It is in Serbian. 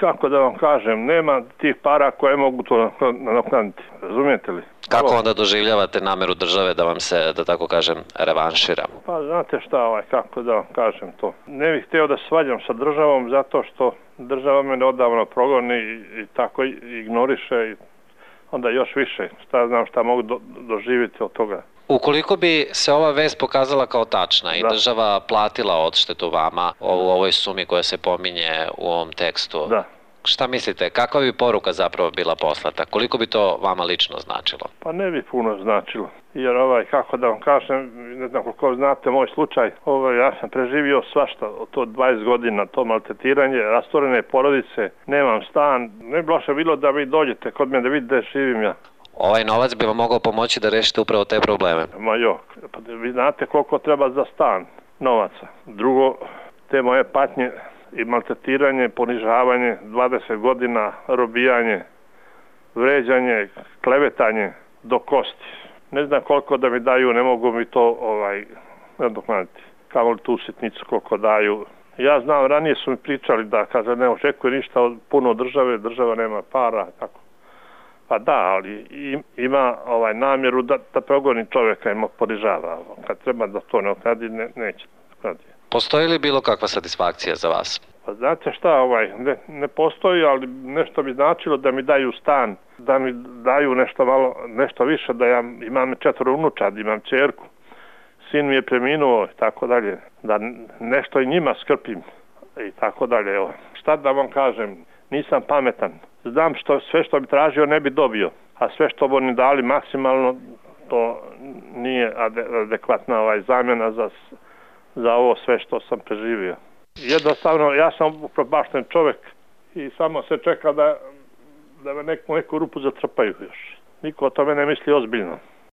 Kako da vam kažem, nema tih para koje mogu to nadoknaditi, razumijete li? Kako onda doživljavate nameru države da vam se, da tako kažem, revanšira? Pa znate šta, kako da vam kažem to. Ne bih htio da se svađam sa državom zato što država mene odavno progoni i tako ignoriše i onda još više. Šta znam šta mogu doživjeti od toga. Ukoliko bi se ova vest pokazala kao tačna i država platila odštetu vama u ovoj sumi koja se pominje u ovom tekstu, šta mislite, kakva bi poruka zapravo bila poslata? Koliko bi to vama lično značilo? Pa ne bi puno značilo. Jer kako da vam kažem, ne znam koliko znate moj slučaj, ja sam preživio svašta, to 20 godina, to maltretiranje, rasturene porodice, nemam stan, ne bi loše bilo da vi dođete kod mene da vidite da živim ja. Ovaj novac bi vam mogao pomoći da rešite upravo te probleme. Pa vi znate koliko treba za stan novaca. Drugo, te moje patnje i maltretiranje, ponižavanje, 20 godina, robijanje, vređanje, klevetanje do kosti. Ne znam koliko da mi daju, ne mogu mi to nadoknaditi. Kao li tu sitnicu koliko daju. Ja znam, ranije su mi pričali da kaže ne očekuje ništa od puno države, država nema para, tako. Pa da, ali ima namjeru da progoni čovjeka i mu ponižava. Kad treba da to ne okradi, neće okradi. Postoji li bilo kakva satisfakcija za vas? Pa znate šta, ne postoji, ali nešto bi značilo da mi daju stan, da mi daju nešto više, da ja imam 4 unučad, imam ćerku, sin mi je preminuo i tako dalje, da nešto i njima skrpim i tako dalje. Šta da vam kažem, nisam pametan. Znam sve što bi tražio ne bi dobio, a sve što bi oni dali maksimalno, to nije adekvatna zamjena za ovo sve što sam preživio. Jednostavno, ja sam upropašten čovjek i samo se čeka da me neku rupu zatrpaju još. Niko o tome ne misli ozbiljno.